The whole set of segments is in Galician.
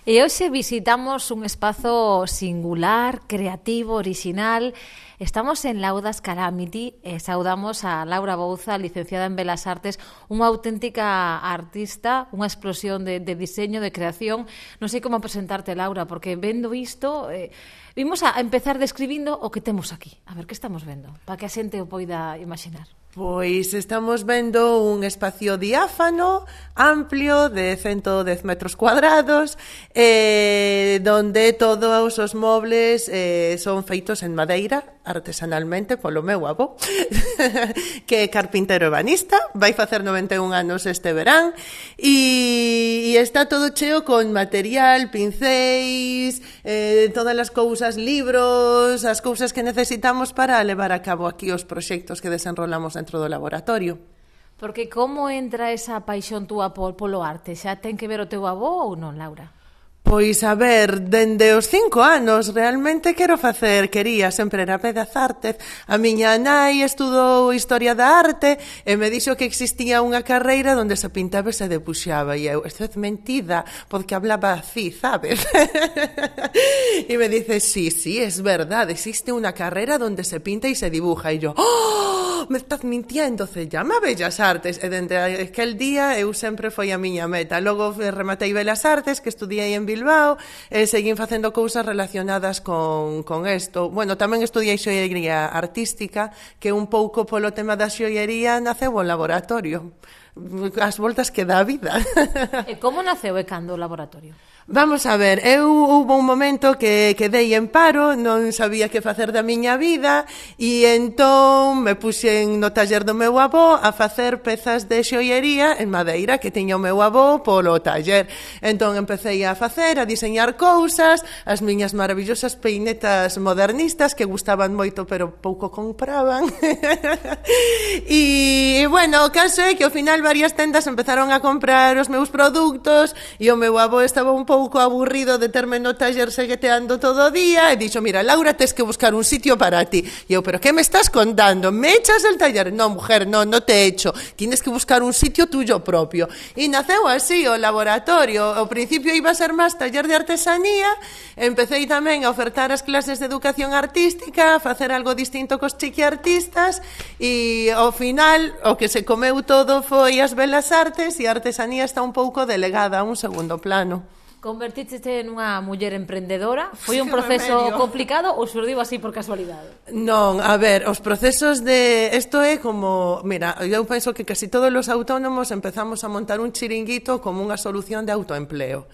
E hoxe visitamos un espazo singular, creativo, original. Estamos en Laudas Calamity e saudamos a Laura Bouza, licenciada en Belas Artes, unha auténtica artista, unha explosión de diseño, de creación. Non sei como presentarte, Laura, porque vendo isto, vimos a empezar describindo o que temos aquí. A ver, que estamos vendo? Para que a xente o poida imaginar. Pois estamos vendo un espacio diáfano, amplio, de 110 metros cuadrados, donde todos os mobles son feitos en madeira, artesanalmente, polo meu avó, que é carpintero ebanista, vai facer 91 anos este verán, e está todo cheo con material, pincéis, todas as cousas, libros, as cousas que necesitamos para levar a cabo aquí os proxectos que desenrolamos dentro do laboratorio. Porque como entra esa paixón túa polo arte? Xa ten que ver o teu avó ou non, Laura? Pois, a ver, dende os 5 anos realmente quería sempre era Belas Artes. A miña nai estudou Historia da Arte e me dixo que existía unha carreira onde se pintaba e se debuxaba, e eu, isto é mentira, porque hablaba así, sabes? E me dice, sí, es verdad, existe unha carreira onde se pinta e se dibuja, e yo, ¡oh! Me estás mintiendo, se llama Bellas Artes, e dende aquel día eu sempre foi a miña meta. Logo rematei Belas Artes, que estudiei en Bilbao, e seguín facendo cousas relacionadas con isto. Bueno, tamén estudiei xoiería artística, que un pouco polo tema da xoiería naceu o laboratorio. As voltas que dá a vida. E como naceu e cando o laboratorio? Vamos a ver, hubo un momento que quedei en paro, non sabía que facer da miña vida, e entón me puxen no taller do meu avó a facer pezas de xoiería en madeira que tiña o meu avó polo taller. Entón empecé a facer, a diseñar cousas, as miñas maravillosas peinetas modernistas que gustaban moito pero pouco compraban. E, bueno, o caso é que ao final varias tendas empezaron a comprar os meus produtos e o meu avó estaba un pouco aburrido de terme no taller segueteando todo o día e dixo, mira, Laura, tes que buscar un sitio para ti. E eu, pero que me estás contando? ¿Me echas del taller? No, mujer, no te echo. Tienes que buscar un sitio tuyo propio. E naceu así o laboratorio. Ao principio iba a ser máis taller de artesanía, empecé tamén a ofertar as clases de educación artística, a facer algo distinto cos chiquiartistas, e ao final o que se comeu todo foi as Belas Artes, e a artesanía está un pouco delegada a un segundo plano. Convertítete nunha muller emprendedora? Foi un proceso complicado ou surdiu así por casualidade? Non, a ver, os procesos de... Isto é como... Mira, eu penso que casi todos os autónomos empezamos a montar un chiringuito como unha solución de autoempleo.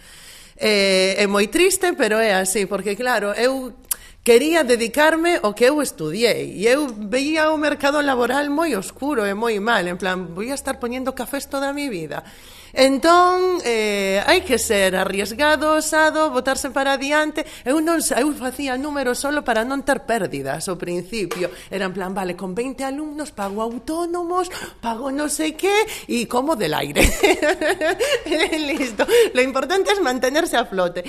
É moi triste, pero é así, porque claro, eu quería dedicarme ao que eu estudiei e eu veía o mercado laboral moi oscuro e moi mal, en plan, vou a estar poñendo cafés toda a mi vida. Entón, hai que ser arriesgado, osado, botarse para adiante. Eu facía números solo para non ter pérdidas ao principio. Era en plan, vale, con 20 alumnos pago autónomos, pago no sei qué e como del aire. Listo. Lo importante es mantenerse a flote.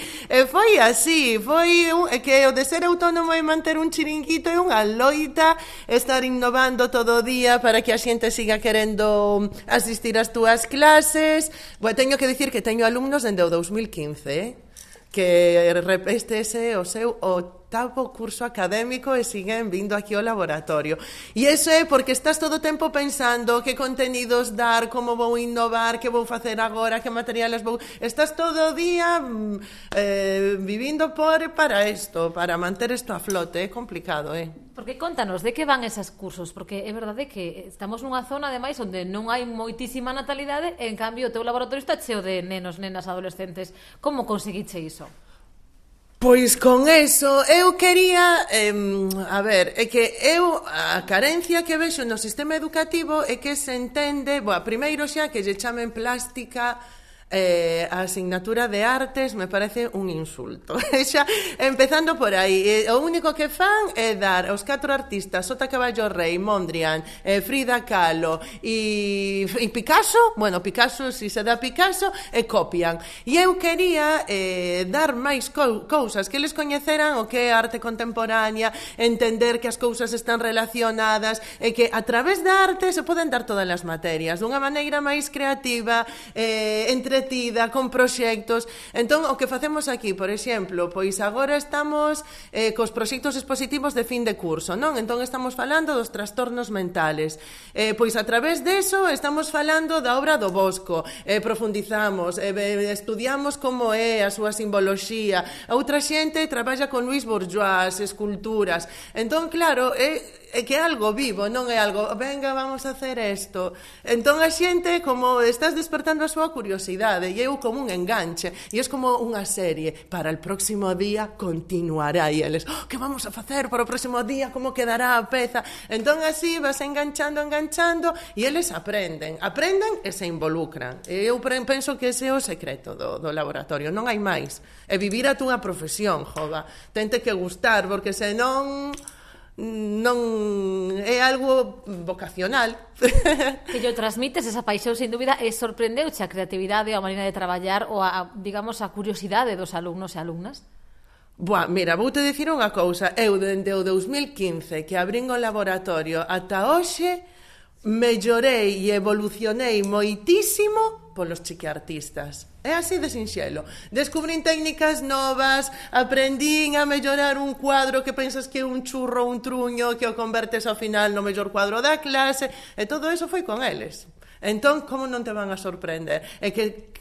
Foi así, foi que o de ser autónomo e manter un chiringuito é unha loita, estar innovando todo o día para que a xente siga querendo asistir ás túas clases. Bueno, teño que dicir que teño alumnos dende o 2015, que este é o seu octavo curso académico e siguen vindo aquí ao laboratorio. E iso é porque estás todo o tempo pensando que contenidos dar, como vou innovar, que vou facer agora, que materiales vou... Estás todo o día vivindo para isto, para manter isto a flote. É complicado, Porque contanos, de que van esos cursos? Porque é verdade que estamos nunha zona, ademais, onde non hai moitísima natalidade, e, en cambio, o teu laboratorio está cheo de nenos, nenas, adolescentes. Como conseguiche iso? Pois con eso, eu quería, a ver, é que eu, a carencia que vexo no sistema educativo é que se entende, primeiro xa que lle chamen plástica, a asignatura de artes me parece un insulto. Xa, empezando por aí, o único que fan é dar aos 4 artistas, Sota Caballo Rei, Mondrian, Frida Kahlo e Picasso. Bueno, Picasso, si se dá Picasso, e copian. E eu quería dar máis cousas, que eles coñeceran o que é arte contemporánea, entender que as cousas están relacionadas e que a través da arte se poden dar todas as materias dunha maneira máis creativa, entre entretida, con proxectos. Entón, o que facemos aquí, por exemplo, pois agora estamos cos proxectos expositivos de fin de curso, non? Entón, estamos falando dos trastornos mentales. Pois a través deso estamos falando da obra do Bosco, profundizamos, estudiamos como é a súa simboloxía. A outra xente traballa con Luis Bourgeois, esculturas. Entón, claro, é que é algo vivo, non é algo, venga, vamos a hacer isto. Entón a xente, como estás despertando a súa curiosidade, e eu como un enganche, e é como unha serie, para el próximo día continuará, e eles, que vamos a facer para o próximo día, como quedará a peza. Entón así vas enganchando, e eles aprenden e se involucran. E eu penso que ese é o secreto do laboratorio, non hai máis. É vivir a túa profesión, jova. Tente que gustar, porque senón non é algo vocacional. Que yo transmites esa paixón, sin dúbida, e sorprendeuche a creatividade, a maneira de traballar ou digamos, a curiosidade dos alumnos e alumnas? Buah, mira, vou te dicir unha cousa. Eu, dende o 2015, que abrín o laboratorio ata hoxe, mellorei e evolucionei moitísimo polos chiquiartistas. É así de sinxelo. Descubrín técnicas novas, aprendín a mellorar un cuadro que pensas que é un churro, un truño, que o convertes ao final no mellor cuadro da clase, e todo eso foi con eles. Entón, como non te van a sorprender? É que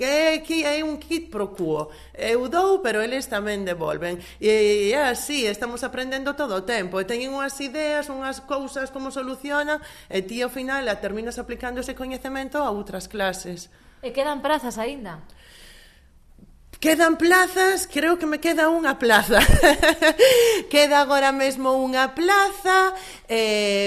é un kit pro quo. Eu dou, pero eles tamén devolven. E é así, estamos aprendendo todo o tempo. E teñen unhas ideas, unhas cousas, como solucionan, e ti ao final terminas aplicando ese coñecemento a outras clases. E quedan prazas aínda? Quedan plazas, creo que me queda unha plaza. Queda agora mesmo unha plaza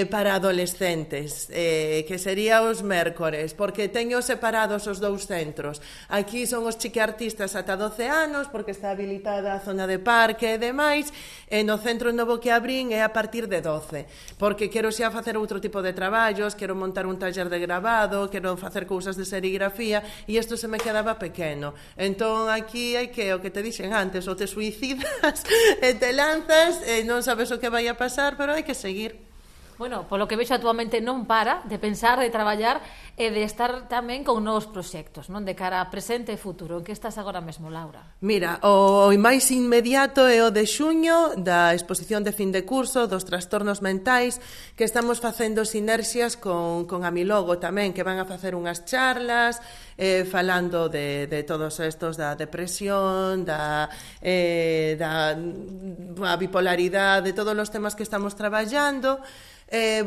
para adolescentes, que sería os mércores, porque teño separados os dous centros. Aquí son os chiquiartistas ata 12 anos, porque está habilitada a zona de parque e demais, e no centro novo que abrín é a partir de 12, porque quero xa facer outro tipo de traballos, quero montar un taller de grabado, quero facer cousas de serigrafía, e isto se me quedaba pequeno. Entón, aquí hai que, o que te dixen antes, ou te suicidas e te lanzas e non sabes o que vai a pasar, pero hai que seguir. Bueno, polo que vexo, a túa mente non para de pensar, de traballar e de estar tamén con novos proxectos, non? De cara a presente e futuro. En que estás agora mesmo, Laura? Mira, o máis inmediato é o de xuño, da exposición de fin de curso dos trastornos mentais, que estamos facendo sinerxias con Amilogo tamén, que van a facer unhas charlas falando de todos estos, da depresión, da bipolaridade, de todos os temas que estamos traballando.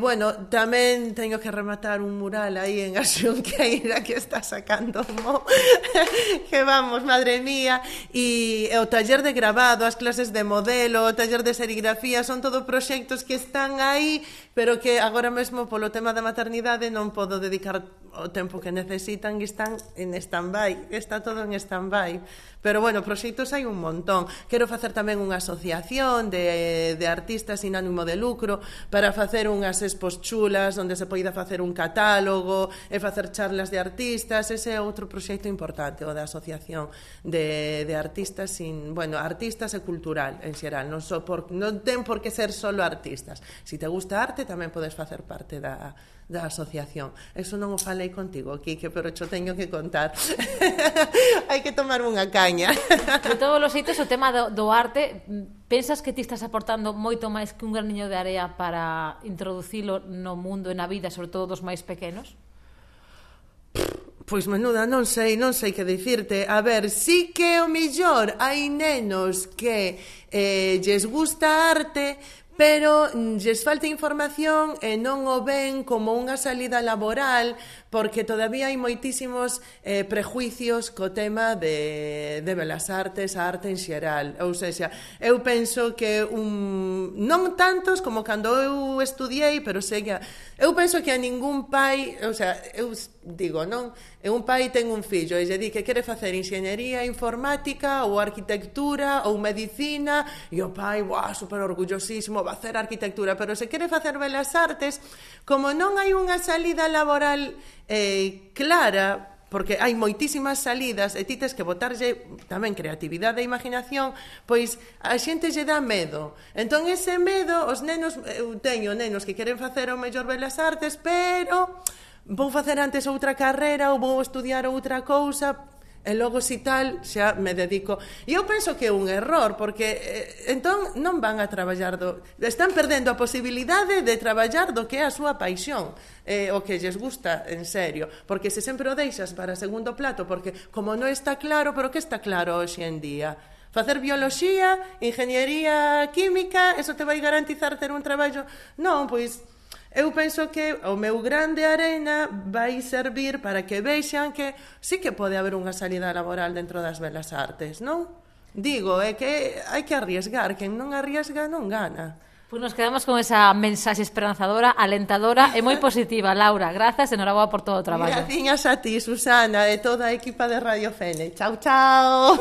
Bueno, tamén teño que rematar un mural aí en a Xunqueira que está sacando mo que vamos, madre mía, e o taller de grabado, as clases de modelo, o taller de serigrafía, son todo proxectos que están aí, pero que agora mesmo polo tema da maternidade non podo dedicar o tempo que necesitan e están en stand-by, está todo en stand-by. Pero bueno, proxectos hai un montón. Quero facer tamén unha asociación de artistas sin ánimo de lucro para facer unhas expos chulas onde se poida facer un catálogo e facer charlas de artistas. Ese é outro proxecto importante, o da asociación de artistas sin, bueno, artistas e cultural en xeral, non ten por que ser solo artistas. Si te gusta arte, tamén podes facer parte da asociación. Eso non o falei contigo, Quique, pero xo teño que contar. Hai que tomar unha caña. De todos os xeitos, o tema do arte, pensas que ti estás aportando moito máis que un graniño de area para introducilo no mundo e na vida, sobre todo dos máis pequenos? Pois menuda, non sei que dicirte. A ver, sí que o mellor hai nenos que lles gusta a arte, pero lles falta información e non o ven como unha salida laboral, porque todavía hai moitísimos prejuicios co tema de Belas Artes, a arte en xeral. Ou seja, eu penso que non tantos como cando eu estudiei, pero eu penso que a ningún pai, ou sea, eu digo, non? Un pai ten un fillo e lle di que quere facer enxeñería informática ou arquitectura ou medicina, e o pai, super orgullosísimo, va a hacer arquitectura, pero se quere facer Belas Artes, como non hai unha salida laboral clara, porque hai moitísimas salidas e ti tes que botarlle tamén creatividade e imaginación, pois a xente lle dá medo. Entón ese medo, os nenos, eu teño nenos que queren facer o mellor Belas Artes, pero vou facer antes outra carreira ou vou estudiar outra cousa, e logo si tal xa me dedico. E eu penso que é un error, porque entón non van a traballar están perdendo a posibilidade de traballar do que é a súa paixón, o que lles gusta en serio, porque se sempre o deixas para segundo plato, porque como non está claro, pero que está claro hoxe en día? Facer bioloxía, ingeniería química, eso te vai garantizar ter un traballo? Non, pois eu penso que o meu grande arena vai servir para que vexan que sí que pode haber unha salida laboral dentro das belas artes, non? Digo, é que hai que arriesgar, quen non arriesga non gana. Pois nos quedamos con esa mensaxe esperanzadora, alentadora e moi positiva. Laura, grazas e enhoraboa por todo o traballo. Graciñas a ti, Susana, e toda a equipa de Radio Fene. Chao, chao.